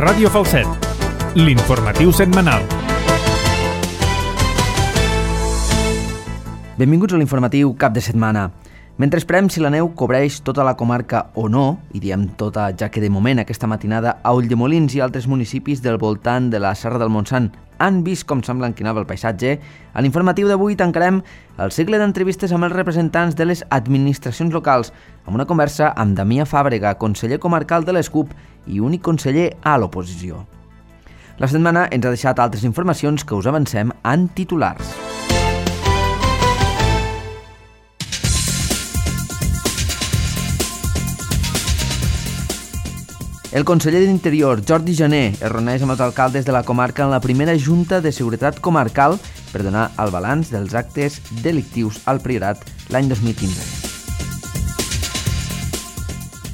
Ràdio Falset, l'informatiu setmanal. Benvinguts a l'informatiu cap de setmana. Mentre esperem si la neu cobreix tota la comarca o no, i diem tota ja que de moment aquesta matinada a Ulldemolins i altres municipis del voltant de la Serra del Montsant han vist com sembla enquinava el paisatge, a l'informatiu d'avui tancarem el cicle d'entrevistes amb els representants de les administracions locals, amb una conversa amb Damià Fàbrega, conseller comarcal de l'ESCUP i únic conseller a l'oposició. La setmana ens ha deixat altres informacions que us avancem en titulars. El conseller d'Interior, Jordi Jané, es reuneix amb els alcaldes de la comarca en la primera Junta de Seguretat Comarcal per donar el balanç dels actes delictius al Priorat l'any 2015.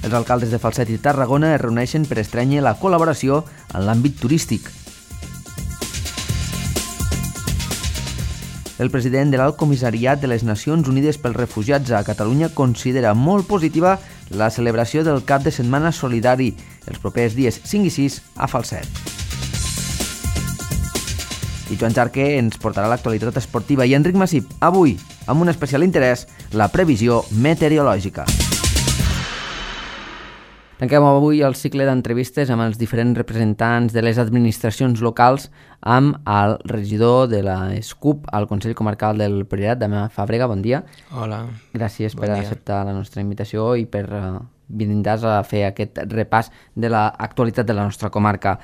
Els alcaldes de Falset i Tarragona es reuneixen per estrènyer la col·laboració en l'àmbit turístic. El president de l'Alt Comissariat de les Nacions Unides pels Refugiats a Catalunya considera molt positiva la celebració del cap de setmana solidari els propers dies 5 i 6 a Falset. I Joan Jarque ens portarà l'actualitat esportiva i Enric Massip, avui, amb un especial interès, la previsió meteorològica. Tanquem avui el cicle d'entrevistes amb els diferents representants de les administracions locals amb el regidor de l'ESCUP al Consell Comarcal del Priorat, Damià Fàbrega. Bon dia. Hola. Gràcies per acceptar la nostra invitació i per vindre's a fer aquest repàs de l'actualitat de la nostra comarca.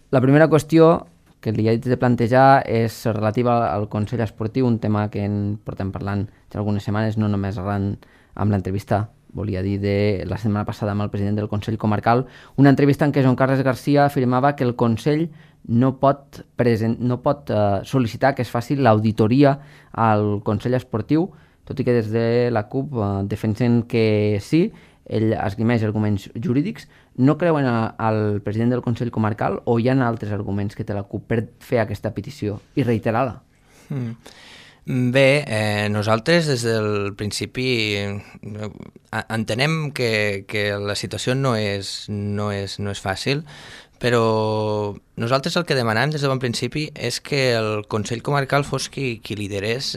La primera qüestió que li he de plantejar és relativa al Consell Esportiu, un tema que en portem parlant ja algunes setmanes, no només arran amb l'entrevista volia dir de la setmana passada amb el president del Consell Comarcal, una entrevista en què Joan Carles Garcia afirmava que el Consell no pot sol·licitar que es faci l'auditoria al Consell Esportiu, tot i que des de la CUP defensen que sí. Ell esgrimeix arguments jurídics. No creuen al president del Consell Comarcal o hi ha altres arguments que té la CUP per fer aquesta petició i reiterar-la? Bé, nosaltres des del principi entenem que la situació no és fàcil, però nosaltres el que demanàvem des de bon principi és que el Consell Comarcal fos qui liderés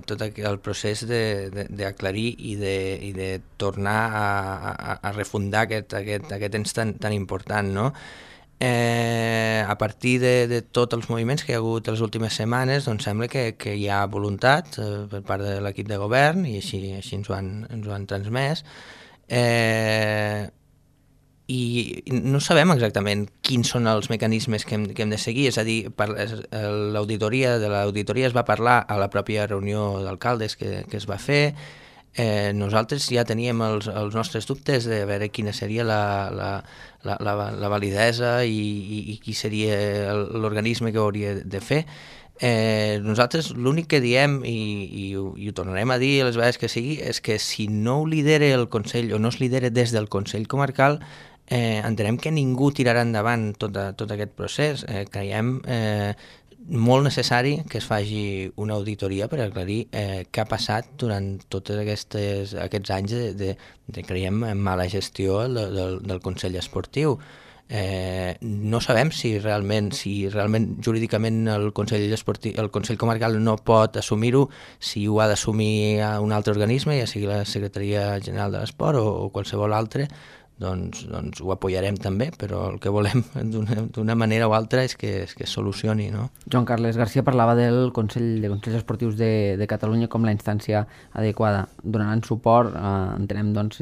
tot el procés d'aclarir i de tornar a refundar aquest ens tan important, no? A partir de tots els moviments que hi ha hagut les últimes setmanes, doncs sembla que hi ha voluntat per part de l'equip de govern i així ens ho han transmès. I no sabem exactament quins són els mecanismes que hem de seguir, és a dir, l'auditoria es va parlar a la pròpia reunió d'alcaldes que es va fer. Nosaltres ja teníem els nostres dubtes de veure quina seria la validesa i qui seria l'organisme que ho hauria de fer. Nosaltres l'únic que diem, i ho tornarem a dir les vegades que sigui, és que si no ho lidera el Consell o no es lidera des del Consell Comarcal, entenem que ningú tirarà endavant tot aquest procés. Creiem molt necessari que es faci una auditoria per aclarir què ha passat durant tots aquests anys de creiem, mala gestió del Consell Esportiu. No sabem si realment jurídicament el Consell Comarcal no pot assumir-ho, si ho ha d'assumir un altre organisme, ja sigui la Secretaria General de l'Esport o qualsevol altre. Doncs ho apoyarem també, però el que volem d'una manera o altra és que es solucioni, no? Joan Carles Garcia parlava del Consell de Consells Esportius de Catalunya com la instància adequada. Donaran suport, entenem, doncs,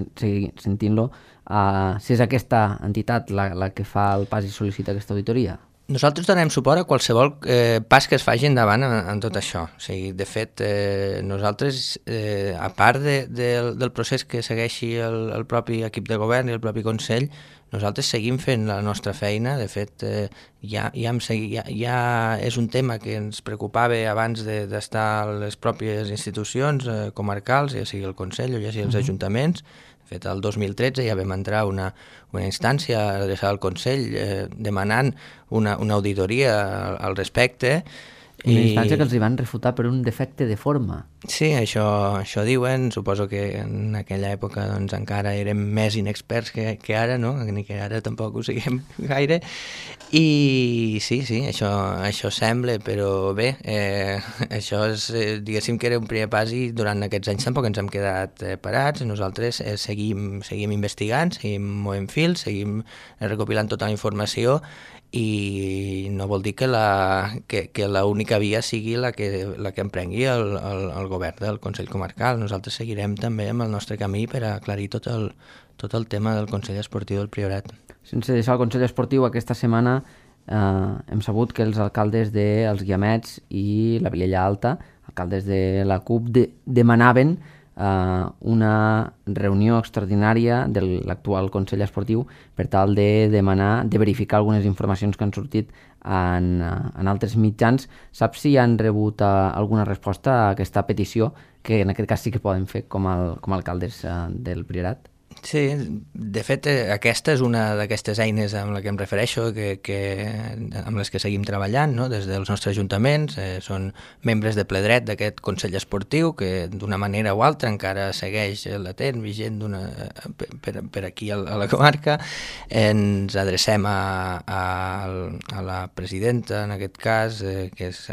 sentint-lo, si és aquesta entitat la que fa el pas i sol·licita aquesta auditoria? Nosaltres donem suport a qualsevol pas que es faci endavant en tot això. O sigui, de fet, nosaltres, a part del procés que segueixi el propi equip de govern i el propi Consell, nosaltres seguim fent la nostra feina. De fet, ja és un tema que ens preocupava abans d'estar a les pròpies institucions comarcals, ja sigui el Consell o ja sigui els ajuntaments. De fet, el 2013 ja vam entrar una instància adreçada al Consell demanant una auditoria al respecte. Una instància que els hi van refutar per un defecte de forma. Sí, això diuen. Suposo que en aquella època doncs, encara érem més inexperts que ara, no? Ni que ara tampoc ho siguem gaire. I sí, això sembla, però bé, això és, diguéssim que era un primer pas i durant aquests anys tampoc ens hem quedat parats. Nosaltres seguim investigant, seguim movent fils, seguim recopilant tota la informació i no vol dir que l'única via sigui la que emprengui el govern del Consell Comarcal. Nosaltres seguirem també amb el nostre camí per aclarir tot el tema del Consell Esportiu del Priorat. Sense deixar el Consell Esportiu, aquesta setmana hem sabut que els alcaldes dels Guiamets i la Vilella Alta, alcaldes de la CUP, demanaven una reunió extraordinària de l'actual Consell Esportiu per tal de verificar algunes informacions que han sortit en altres mitjans. Saps si han rebut alguna resposta a aquesta petició, que en aquest cas sí que poden fer com a alcaldes del Priorat? Sí, de fet aquesta és una d'aquestes eines amb la que em refereixo, amb les que seguim treballant, no? Des dels nostres ajuntaments, són membres de ple dret d'aquest Consell Esportiu que d'una manera o altra encara segueix latent, vigent per aquí a la comarca. Ens adrecem a la presidenta, en aquest cas, que és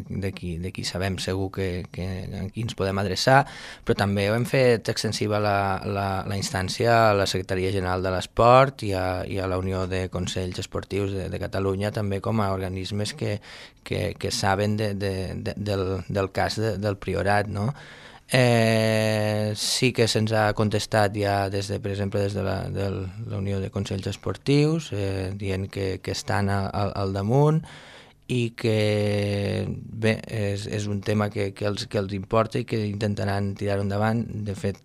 de qui sabem segur que a qui ens podem adreçar, però també ho hem fet extensiva la instància a la Secretaria General de l'Esport i a la Unió de Consells Esportius de Catalunya, també com a organismes que saben del cas del Priorat, no? Sí que se'ns ha contestat ja per exemple des de la Unió de Consells Esportius, dient que estan al damunt i que bé, és un tema que els importa i que intentaran tirar-ho endavant. De fet,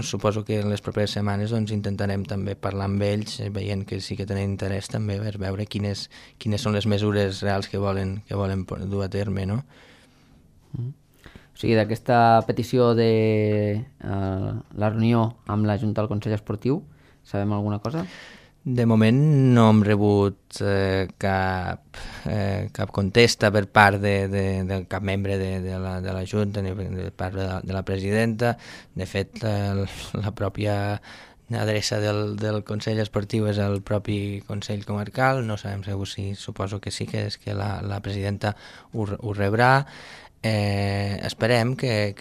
suposo que en les properes setmanes doncs, intentarem també parlar amb ells, veient que sí que tenen interès també per veure quines són les mesures reals que volen dur a terme, no? O sigui, d'aquesta petició de la reunió amb la Junta del Consell Esportiu, sabem alguna cosa? De moment no hem rebut cap contesta per part de cap membre de la Junta ni per part de la presidenta. De fet, la pròpia adreça del Consell Esportiu és el propi Consell Comarcal. No sabem segur si, suposo que sí, que és que la presidenta ho rebrà. Esperem que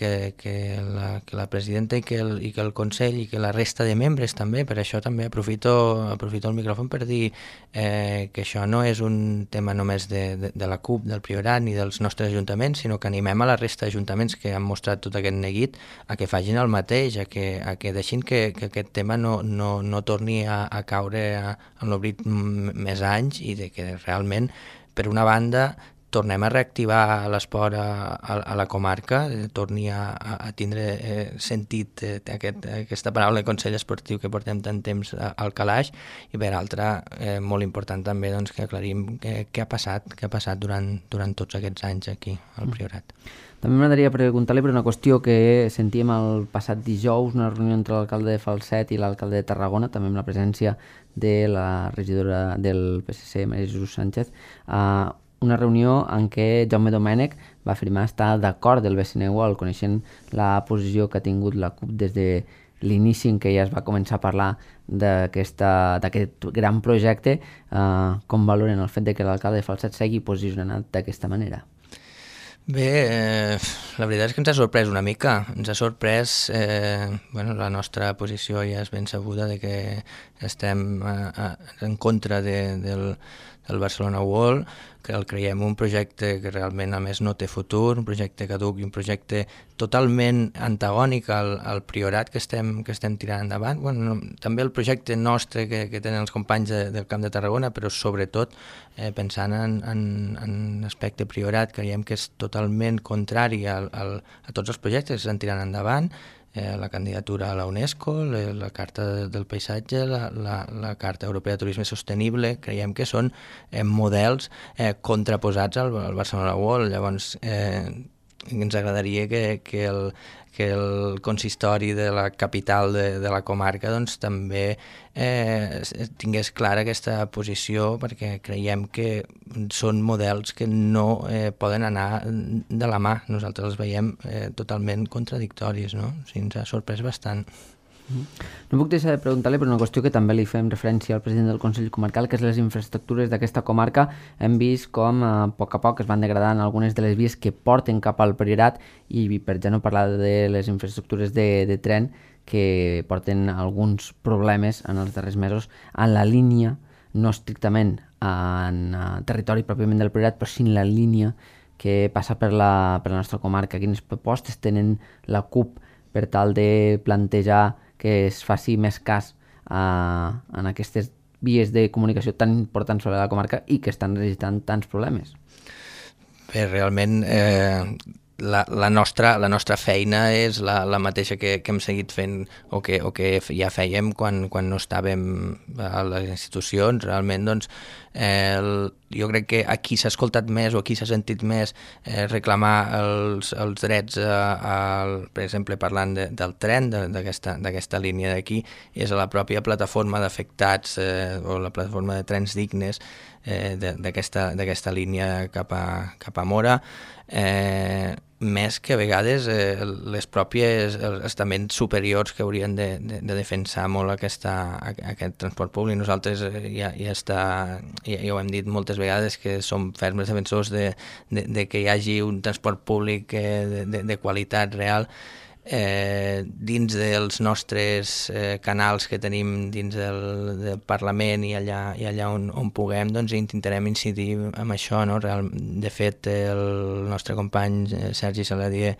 la presidenta i que el Consell i que la resta de membres també, per això també aprofito el micròfon per dir que això no és un tema només de la CUP, del Priorat ni dels nostres ajuntaments, sinó que animem a la resta d'ajuntaments que han mostrat tot aquest neguit a que facin el mateix, a que deixin que aquest tema no torni a caure en l'oblit més anys i de que realment, per una banda, tornem a reactivar l'esport a la comarca, torni a tindre sentit aquesta paraula de Consell Esportiu que portem tant temps al calaix, i per altra, molt important també doncs, que aclarim què ha passat durant tots aquests anys aquí al Priorat. També m'agradaria preguntar-li per una qüestió que sentíem el passat dijous, una reunió entre l'alcalde de Falset i l'alcalde de Tarragona, també amb la presència de la regidora del PSC, Maria Jesús Sánchez, una reunió en què Jaume Domènech va afirmar estar d'acord del BCNU al coneixent la posició que ha tingut la CUP des de l'inici en què ja es va començar a parlar d'aquest gran projecte. Com valoren el fet de que l'alcalde de Falset sigui posicionat d'aquesta manera? Bé, la veritat és que ens ha sorprès una mica. Ens ha sorprès, la nostra posició ja és ben sabuda de que estem en contra del Barcelona World, que el creiem un projecte que realment a més no té futur, un projecte caduc i un projecte totalment antagònic al Priorat que estem tirant endavant. També el projecte nostre que tenen els companys del Camp de Tarragona, però sobretot pensant en aspecte Priorat, creiem que és totalment contrari a tots els projectes que estan tirant endavant. La candidatura a la UNESCO, la Carta del Paisatge, la Carta Europea de Turisme Sostenible, creiem que són models contraposats al Barcelona World. Llavors, ens agradaria que el consistori de la capital de la comarca doncs, també tingués clara aquesta posició, perquè creiem que són models que no poden anar de la mà. Nosaltres els veiem totalment contradictoris, no? O sigui, ens ha sorprès bastant. No puc deixar de preguntar-li per una qüestió que també li fem referència al president del Consell Comarcal, que és les infraestructures d'aquesta comarca. Hem vist com a poc es van degradant algunes de les vies que porten cap al Priorat, i per ja no parlar de les infraestructures de tren que porten alguns problemes en els darrers mesos en la línia, no estrictament en territori pròpiament del Priorat, però sí en la línia que passa per la nostra comarca. Quines propostes tenen la CUP per tal de plantejar que es faci més cas en aquestes vies de comunicació tan importants sobre la comarca i que estan registrant tants problemes? Bé, realment la nostra feina és la mateixa que hem seguit fent o que ja fèiem quan no estàvem a les institucions. Realment, doncs, jo crec que aquí s'ha escoltat més o aquí s'ha sentit més reclamar els drets, per exemple, parlant del tren, d'aquesta línia d'aquí, és a la pròpia plataforma d'afectats o la plataforma de trens dignes d'aquesta línia cap a Móra, més que a vegades les pròpies els estaments superiors que haurien de defensar molt aquest transport públic. Nosaltres ja ho hem dit moltes vegades, que som ferms defensors de que hi hagi un transport públic de qualitat real dins dels nostres canals que tenim dins del Parlament i allà on puguem, doncs intentarem incidir en això, no? De fet, el nostre company Sergi Saladier,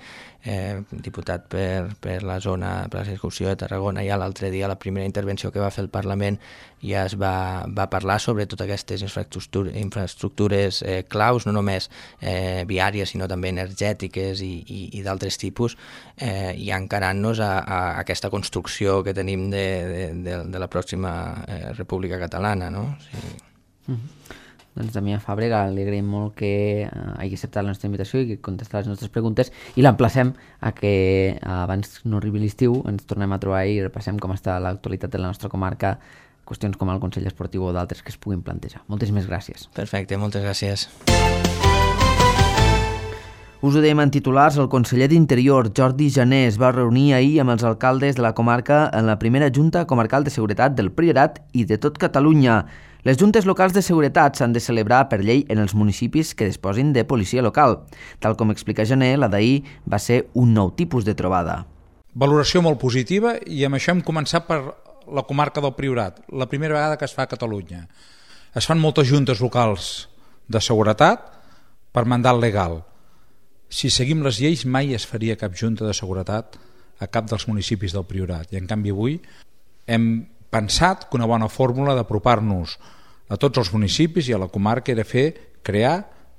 diputat per la zona, per la circumscripció de Tarragona, ja l'altre dia, la primera intervenció que va fer el Parlament, ja es va parlar sobre totes aquestes infraestructures claus, no només viàries, sinó també energètiques i d'altres tipus, i encarant-nos a aquesta construcció que tenim de la pròxima República Catalana, no? Sí. Doncs Damià Fàbrega, li agraïm molt que hagi acceptat la nostra invitació i que contestat les nostres preguntes, i l'emplacem a que abans no arribi l'estiu ens tornem a trobar i repassem com està l'actualitat de la nostra comarca, qüestions com el Consell Esportiu o d'altres que es puguin plantejar. Moltíssimes gràcies. Perfecte, moltes gràcies. Us ho dèiem en titulars, el conseller d'Interior, Jordi Jané, es va reunir ahir amb els alcaldes de la comarca en la primera Junta Comarcal de Seguretat del Priorat i de tot Catalunya. Les juntes locals de seguretat s'han de celebrar per llei en els municipis que disposin de policia local. Tal com explica Jané, la d'ahir va ser un nou tipus de trobada. Valoració molt positiva, i amb això hem començat per la comarca del Priorat, la primera vegada que es fa a Catalunya. Es fan moltes juntes locals de seguretat per mandat legal. Si seguim les lleis, mai es faria cap junta de seguretat a cap dels municipis del Priorat. I en canvi avui hem pensat que una bona fórmula d'apropar-nos a tots els municipis i a la comarca era crear,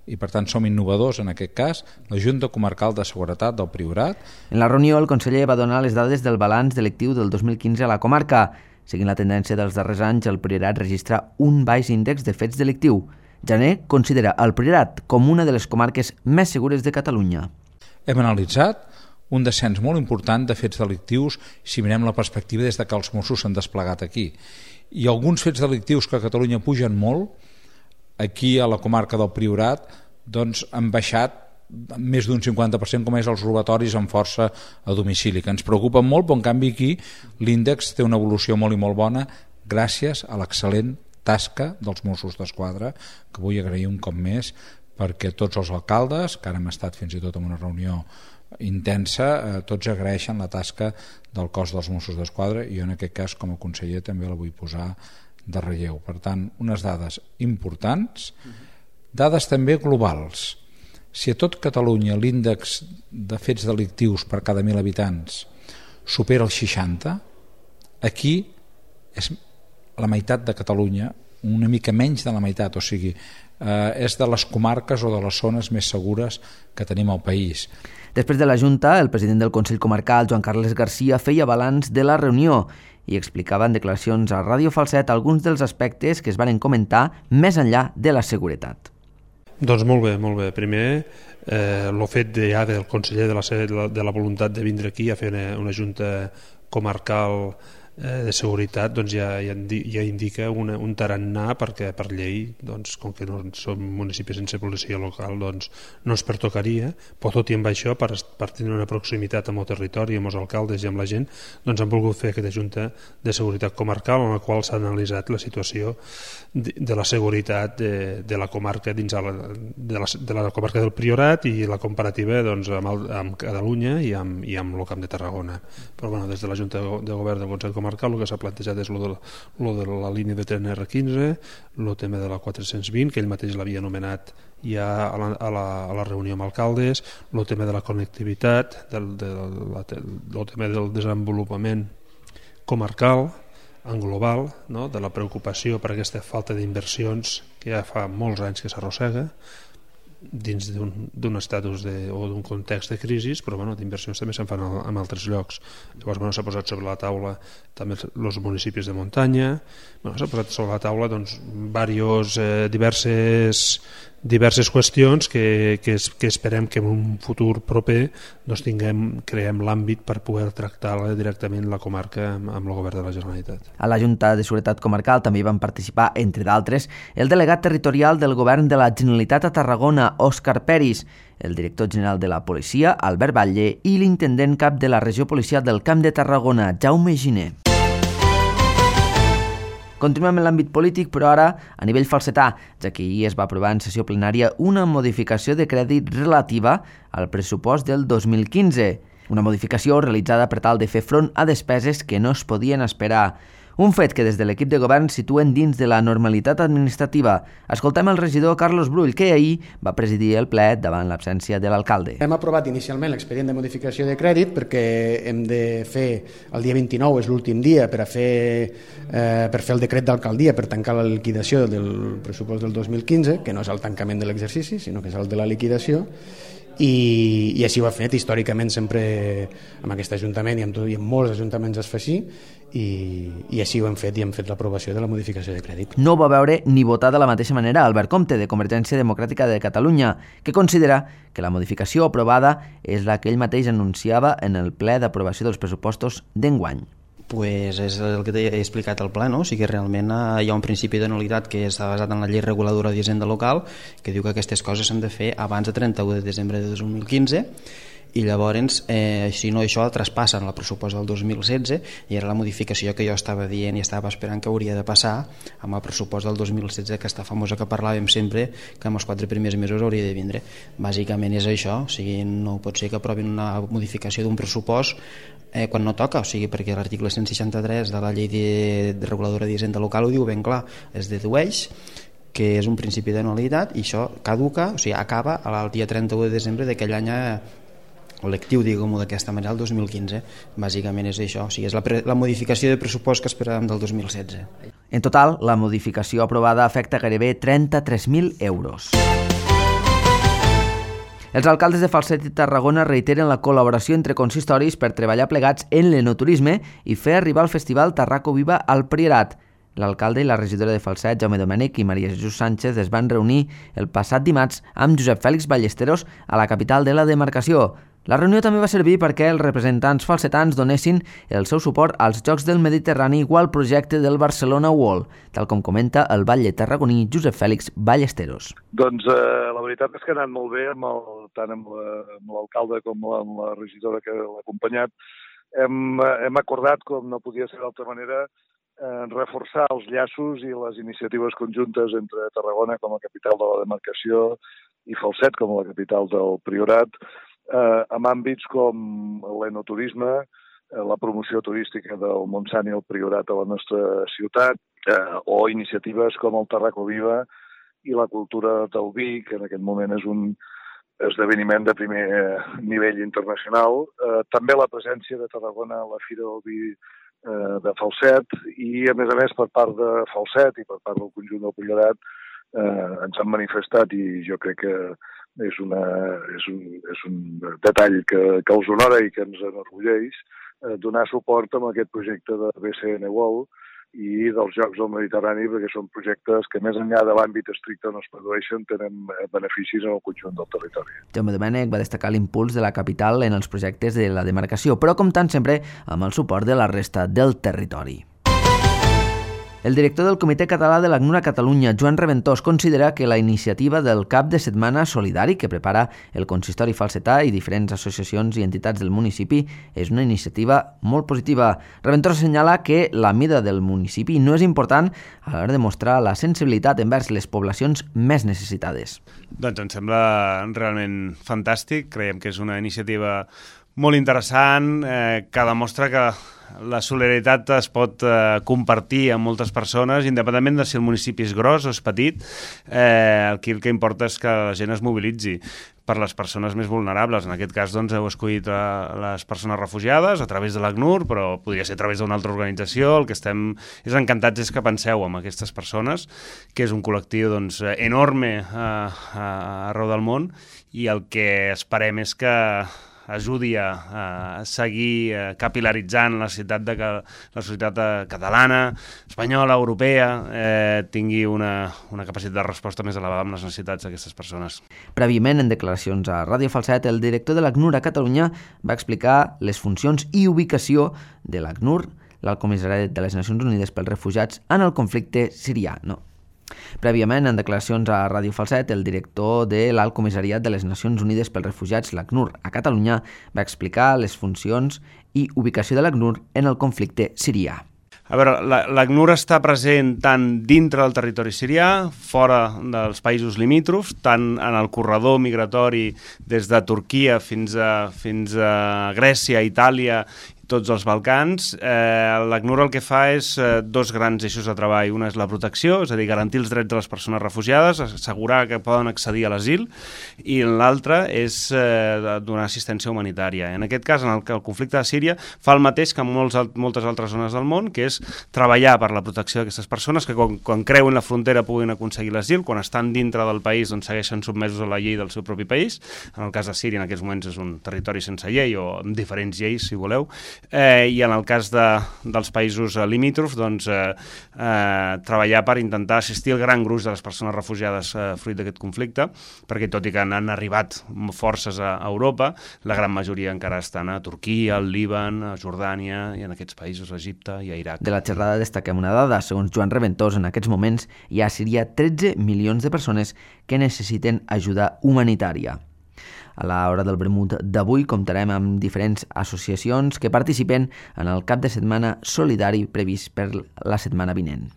i per tant som innovadors en aquest cas, la Junta Comarcal de Seguretat del Priorat. En la reunió el conseller va donar les dades del balanç delictiu del 2015 a la comarca. Seguint la tendència dels darrers anys, el Priorat registra un baix índex de fets delictiu. Jané considera el Priorat com una de les comarques més segures de Catalunya. Hem analitzat un descens molt important de fets delictius si mirem la perspectiva des que els Mossos s'han desplegat aquí. I alguns fets delictius que a Catalunya pugen molt, aquí a la comarca del Priorat doncs han baixat més d'un 50%, com és els robatoris amb força a domicili, que ens preocupen molt, però en canvi aquí l'índex té una evolució molt i molt bona gràcies a l'excel·lent tasca dels Mossos d'Esquadra, que vull agrair un cop més, perquè tots els alcaldes, que ara hem estat fins i tot en una reunió intensa, tots agraeixen la tasca del cos dels Mossos d'Esquadra, i jo en aquest cas com a conseller també la vull posar de relleu. Per tant, unes dades importants, dades també globals. Si a tot Catalunya l'índex de fets delictius per cada 1.000 habitants supera els 60, aquí és la meitat de Catalunya, una mica menys de la meitat, o sigui, és de les comarques o de les zones més segures que tenim al país. Després de la Junta, el president del Consell Comarcal, Joan Carles Garcia, feia balanç de la reunió i explicava en declaracions a Ràdio Falset alguns dels aspectes que es van comentar més enllà de la seguretat. Doncs molt bé. Primer, el fet ja del conseller de la voluntat de vindre aquí a fer una junta comarcal de seguretat, doncs ja indica un tarannà, perquè per llei, doncs, com que no som municipis sense policia local, doncs no ens pertocaria, però tot i amb això, per tenir una proximitat amb el territori, amb els alcaldes i amb la gent, doncs han volgut fer aquesta junta de seguretat comarcal en la qual s'ha analitzat la situació de la seguretat de la comarca dins de la comarca del Priorat i la comparativa doncs, amb Catalunya i amb el Camp de Tarragona. Però bueno, des de la Junta de Govern del Consell Comarcal el que s'ha plantejat és lo de la línia de tren R15, el tema de la 420, que ell mateix l'havia anomenat ja a la reunió amb alcaldes, el tema de la connectivitat, el tema del desenvolupament comarcal en global, no? De la preocupació per aquesta falta d'inversions que ja fa molts anys que s'arrossega dins d'un estatus o d'un context de crisi, però bueno, d'inversions també se'n fan en altres llocs. Llavors bueno, s'ha posat sobre la taula també els municipis de muntanya, s'ha posat sobre la taula doncs, diverses qüestions que esperem que en un futur proper doncs, creem l'àmbit per poder tractar directament la comarca amb el govern de la Generalitat. A la Junta de Seguretat Comarcal també hi van participar, entre d'altres, el delegat territorial del govern de la Generalitat a Tarragona, Òscar Peris, el director general de la policia, Albert Batlle, i l'intendent cap de la regió policial del Camp de Tarragona, Jaume Giner. Continuem en l'àmbit polític, però ara a nivell falsetà, ja que ahir es va aprovar en sessió plenària una modificació de crèdit relativa al pressupost del 2015. Una modificació realitzada per tal de fer front a despeses que no es podien esperar. Un fet que des de l'equip de govern situen dins de la normalitat administrativa. Escoltem el regidor Carlos Brull, que ahir va presidir el ple davant l'absència de l'alcalde. Hem aprovat inicialment l'expedient de modificació de crèdit perquè hem de fer, el dia 29 és l'últim dia per fer el decret d'alcaldia per tancar la liquidació del pressupost del 2015, que no és el tancament de l'exercici, sinó que és el de la liquidació, i així ho ha fet històricament sempre amb aquest ajuntament i amb molts ajuntaments es fa així i així ho hem fet i hem fet l'aprovació de la modificació de crèdit. No va veure ni votar de la mateixa manera Albert Comte, de Convergència Democràtica de Catalunya, que considera que la modificació aprovada és la que ell mateix anunciava en el ple d'aprovació dels pressupostos d'enguany. Pues és el que t'he explicat al ple, no? O sigui que realment hi ha un principi de nul·litat que està basat en la llei reguladora d'Hisenda Local que diu que aquestes coses s'han de fer abans de 31 de desembre de 2015 i llavors, si no, això traspassa en el pressupost del 2016 i era la modificació que jo estava dient i estava esperant que hauria de passar amb el pressupost del 2016, aquesta famosa que parlàvem sempre, que en els 4 primers mesos hauria de vindre. Bàsicament és això, o sigui, no pot ser que aprovin una modificació d'un pressupost quan no toca, o sigui, perquè l'article 163 de la llei de reguladora d'Hisenda Local ho diu ben clar, es dedueix que és un principi de nul·litat i això caduca, o sigui, acaba el dia 31 de desembre d'aquell any lectiu, diguem-ho d'aquesta manera, el 2015. Bàsicament és això, o sigui, és la modificació de pressupost que esperàvem del 2016. En total, la modificació aprovada afecta gairebé 33.000 euros. Els alcaldes de Falset i Tarragona reiteren la col·laboració entre consistoris per treballar plegats en l'enoturisme i fer arribar el festival Tarraco Viva al Priorat. L'alcalde i la regidora de Falset, Jaume Domènech, i Maria Jesús Sánchez es van reunir el passat dimarts amb Josep Fèlix Ballesteros a la capital de la demarcació. La reunió també va servir perquè els representants falsetans donessin el seu suport als Jocs del Mediterrani o al projecte del Barcelona World, tal com comenta el batlle tarragoní Josep Fèlix Ballesteros. Doncs la veritat és que ha anat molt bé, tant amb l'alcalde com amb la regidora que l'ha acompanyat. Hem acordat, com no podia ser d'altra manera, reforçar els llaços i les iniciatives conjuntes entre Tarragona com a capital de la demarcació i Falset com a la capital del Priorat, amb àmbits com l'enoturisme, la promoció turística del Montsant i el Priorat a la nostra ciutat, o iniciatives com el Tarraco Viva i la cultura del vi, que en aquest moment és un esdeveniment de primer nivell internacional. També la presència de Tarragona a la Fira del Vi de Falset i, a més, per part de Falset i per part del conjunt del Priorat ens han manifestat, i jo crec que és un detall que els honora i que ens enorgulleix, donar suport a aquest projecte de BCN World, i dels Jocs del Mediterrani, perquè són projectes que més enllà de l'àmbit estricte on es produeixen tenen beneficis en el conjunt del territori. Jaume Domènech va destacar l'impuls de la capital en els projectes de la demarcació, però comptant sempre amb el suport de la resta del territori. El director del Comitè Català de l'ACNUR a Catalunya, Joan Reventós, considera que la iniciativa del cap de setmana solidari que prepara el consistori falsetà i diferents associacions i entitats del municipi és una iniciativa molt positiva. Reventós assenyala que la mida del municipi no és important a l'hora de mostrar la sensibilitat envers les poblacions més necessitades. Doncs em sembla realment fantàstic, creiem que és una iniciativa molt interessant, que demostra que la solidaritat es pot compartir amb moltes persones, independentment de si el municipi és gros o és petit. Aquí el que importa és que la gent es mobilitzi per les persones més vulnerables. En aquest cas doncs, heu escollit les persones refugiades a través de l'ACNUR, però podria ser a través d'una altra organització. El que estem encantats és que penseu en aquestes persones, que és un col·lectiu doncs, enorme arreu del món, i el que esperem és que ajudi a seguir capilaritzant la societat, que la societat catalana, espanyola, europea, tingui una capacitat de resposta més elevada amb les necessitats d'aquestes persones. Prèviament, en declaracions a Ràdio Falset, el director de l'ACNUR a Catalunya va explicar les funcions i ubicació de l'ACNUR, l'Alt Comissariat de les Nacions Unides pels Refugiats, en el conflicte sirià. Prèviament, en declaracions a Ràdio Falset, el director de l'Alt Comissariat de les Nacions Unides pels Refugiats, l'ACNUR, a Catalunya, va explicar les funcions i ubicació de l'ACNUR en el conflicte sirià. A veure, l'ACNUR està present tant dintre del territori sirià, fora dels països limítrofs, tant en el corredor migratori des de Turquia fins a Grècia, Itàlia, tots els Balcans. L'ACNUR el que fa és dos grans eixos de treball. Una és la protecció, és a dir, garantir els drets de les persones refugiades, assegurar que poden accedir a l'asil, i l'altra és donar assistència humanitària. En aquest cas, en el conflicte de Síria, fa el mateix que en moltes altres zones del món, que és treballar per la protecció d'aquestes persones, que quan creuen la frontera puguin aconseguir l'asil, quan estan dintre del país doncs segueixen sotmesos a la llei del seu propi país. En el cas de Síria, en aquests moments és un territori sense llei, o amb diferents lleis, si voleu. I en el cas dels països limítrofs, doncs, treballar per intentar assistir el gran gruix de les persones refugiades fruit d'aquest conflicte, perquè tot i que han arribat forces a Europa, la gran majoria encara estan a Turquia, al Líban, a Jordània, i en aquests països, a Egipte i a Iraq. De la xerrada destaquem una dada. Segons Joan Reventós, en aquests moments hi ha a Síria 13 milions de persones que necessiten ajuda humanitària. A l'hora del vermut d'avui comptarem amb diferents associacions que participen en el cap de setmana solidari previst per la setmana vinent.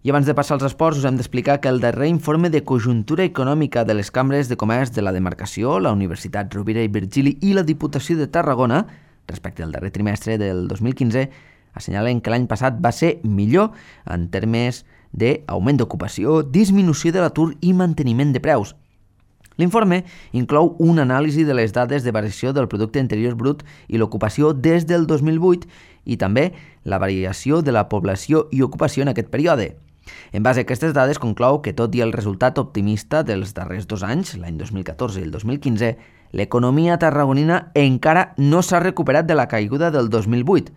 I abans de passar als esports, us hem d'explicar que el darrer informe de conjuntura econòmica de les cambres de comerç de la demarcació, la Universitat Rovira i Virgili i la Diputació de Tarragona, respecte al darrer trimestre del 2015, assenyalen que l'any passat va ser millor en termes d'augment d'ocupació, disminució de l'atur i manteniment de preus. L'informe inclou una anàlisi de les dades de variació del producte interior brut i l'ocupació des del 2008 i també la variació de la població i ocupació en aquest període. En base a aquestes dades conclou que tot i el resultat optimista dels darrers 2 anys, l'any 2014 i el 2015, l'economia tarragonina encara no s'ha recuperat de la caiguda del 2008,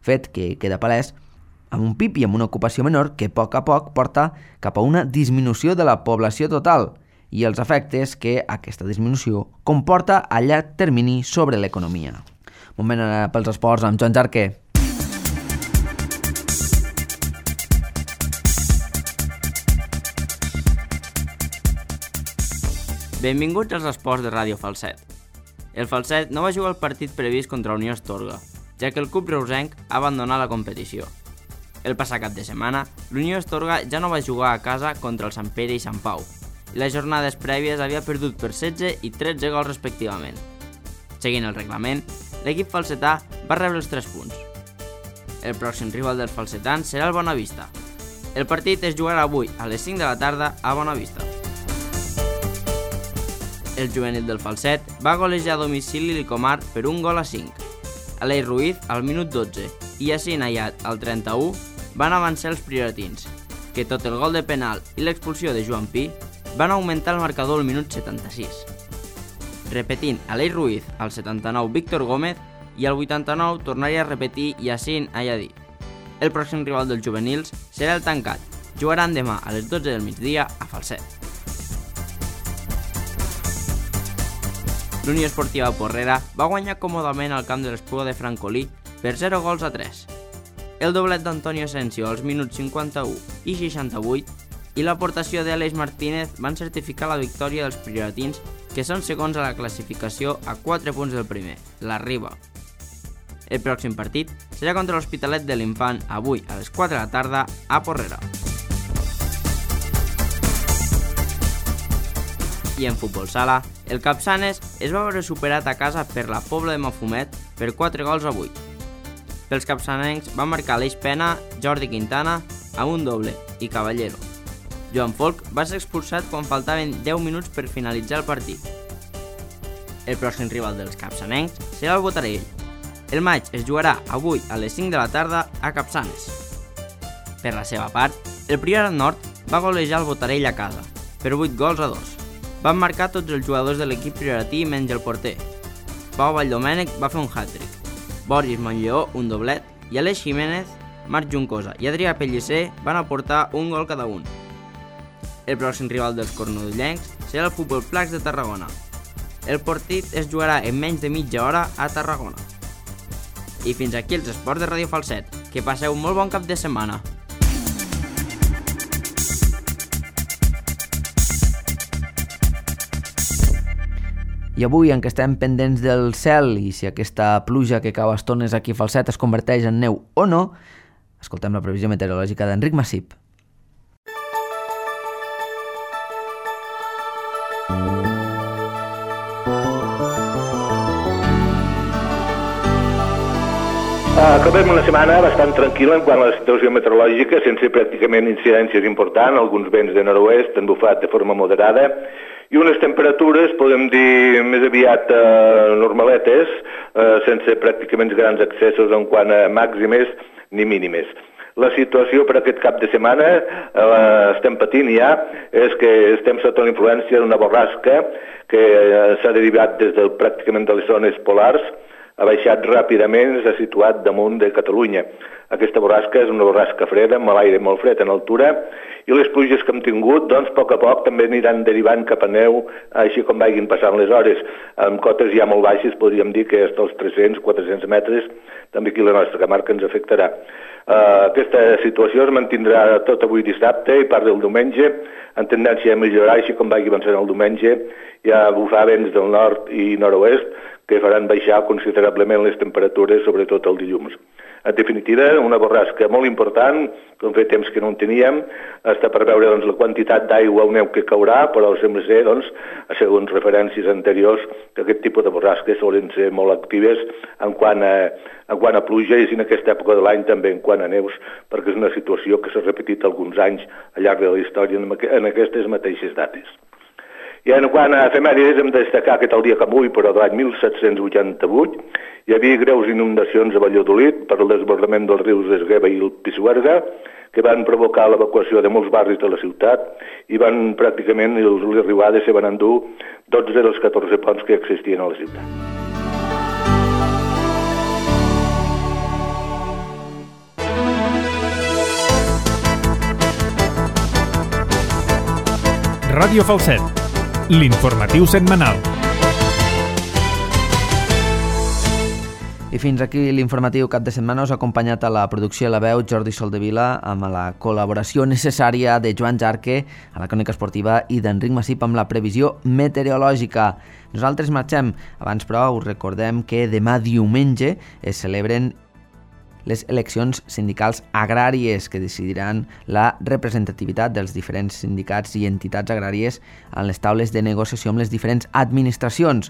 fet que queda palès amb un PIB i amb una ocupació menor que a poc porta cap a una disminució de la població total i els efectes que aquesta disminució comporta a llarg termini sobre l'economia. Moment pels esports amb Joan Jarquer. Benvinguts als esports de Ràdio Falset. El Falset no va jugar el partit previst contra Unió Astorga, ja que el club reusenc ha abandonat la competició. El passat cap de setmana, l'Unió Astorga ja no va jugar a casa contra el Sant Pere i Sant Pau, i les jornades prèvies havia perdut per 16 i 13 gols respectivament. Seguint el reglament, l'equip falsetà va rebre els 3 punts. El pròxim rival dels falsetans serà el Bonavista. El partit es jugarà avui a les 5 de la tarda a Bonavista. El juvenil del Falset va golejar a domicili l'Icomar per 1-5. Aleix Ruiz al minut 12 i Yacine Ayat al 31 van avançar els prioratins, que tot el gol de penal i l'expulsió de Joan Pi van augmentar el marcador al minut 76. Repetint Aleix Ruiz al 79 Víctor Gómez i al 89 tornaria a repetir Yacine Ayadit. El pròxim rival dels juvenils serà el Tancat. Jugaran demà a les 12 del migdia a Falset. L'Unió Esportiva Porrera va guanyar còmodament al camp de l'Espluga de Francolí per 0-3. El doblet d'Antonio Asensio als minuts 51 i 68 i l'aportació d'Aleix Martínez van certificar la victòria dels prioratins, que són segons a la classificació a 4 punts del primer, la Riba. El pròxim partit serà contra l'Hospitalet de l'Infant avui a les 4 de la tarda a Porrera. I en futbol sala, el Capçanes es va veure superat a casa per la Pobla de Mafumet per 4-8. Pels capçanencs van marcar Aleix Pena, Jordi Quintana, Amunt Doble i Caballero. Joan Folk va ser expulsat quan faltaven 10 minuts per finalitzar el partit. El pròxim rival dels capçanencs serà el Botarell. El maig es jugarà avui a les 5 de la tarda a Capçanes. Per la seva part, el Priorat Nord va golejar el Botarell a casa, per 8-2. Van marcar tots els jugadors de l'equip prioratí menys el porter. Pau Valldomènec va fer un hat-trick, Boris Montlleó un doblet i Aleix Jiménez, Marc Juncosa i Adrià Pellicer van aportar un gol cada un. El pròxim rival dels cornudillencs serà el Futbol Placs de Tarragona. El partit es jugarà en menys de mitja hora a Tarragona. I fins aquí els esports de Ràdio Falset. Que passeu un molt bon cap de setmana. I avui, en què estem pendents del cel i si aquesta pluja que cau a estones aquí a Falset es converteix en neu o no, escoltem la previsió meteorològica d'Enric Massip. Acabem una setmana bastant tranquil·la en quant a la situació meteorològica, sense pràcticament incidències importants, alguns vents de nord-oest han bufat de forma moderada, i unes temperatures, podem dir, més aviat normaletes, sense pràcticament grans excessos en quant a màximes ni mínimes. La situació per aquest cap de setmana, estem patint ja, és que estem sota la influència d'una borrasca que s'ha derivat des de pràcticament de les zones polars, ha baixat ràpidament, s'ha situat damunt de Catalunya. Aquesta borrasca és una borrasca freda, amb l'aire molt fred en altura, i les pluges que hem tingut, doncs, a poc també aniran derivant cap a neu, així com vagin passant les hores. Amb cotes ja molt baixes, podríem dir que fins als 300-400 metres, també aquí la nostra comarca ens afectarà. Aquesta situació es mantindrà tot avui dissabte i part del diumenge, en tendència a millorar, així com vagi avançant el diumenge, hi ha bufar vents del nord i nord-oest, que faran baixar considerablement les temperatures, sobretot el dilluns. En definitiva, una borrasca molt important, com fa temps que no en teníem, està per veure doncs, la quantitat d'aigua o neu que caurà, però sembla ser, doncs, segons referències anteriors, que aquest tipus de borrasques solen ser molt actives en quant a pluja i en aquesta època de l'any també en quant a neus, perquè és una situació que s'ha repetit alguns anys al llarg de la història en aquestes mateixes dates. I en quant a efemèrides hem de destacar que tal dia com avui, però de l'any 1788, hi havia greus inundacions a Valladolid per el desbordament dels rius d'Esgueva i el Pisuerga, que van provocar l'evacuació de molts barris de la ciutat i van pràcticament, les riuades se van endur 12 dels 14 ponts que existien a la ciutat. Ràdio Falset, l'informatiu setmanal. I fins aquí l'informatiu cap de setmana. Us ha acompanyat a la producció i la veu Jordi Soldevila, amb la col·laboració necessària de Joan Jarque a la crònica esportiva i d'Enric Massip amb la previsió meteorològica. Nosaltres marxem. Abans, però, us recordem que demà diumenge es celebren les eleccions sindicals agràries que decidiran la representativitat dels diferents sindicats i entitats agràries en les taules de negociació amb les diferents administracions.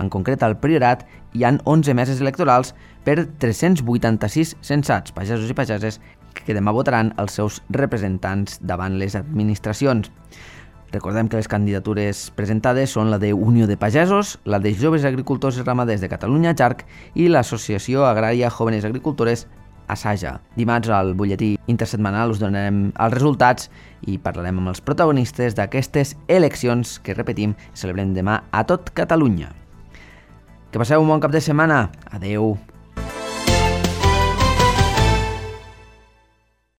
En concret, al Priorat hi han 11 meses electorals per 386 censats, pagesos i pageses, que demà votaran els seus representants davant les administracions. Recordem que les candidatures presentades són la de Unió de Pagesos, la de Joves Agricultors i Ramaders de Catalunya, JARC, i l'Associació Agrària Jóvenes Agricultores, ASAJA. Dimarts al butlletí intersetmanal us donarem els resultats i parlarem amb els protagonistes d'aquestes eleccions que, repetim, celebren demà a tot Catalunya. Que passeu un bon cap de setmana. Adeu.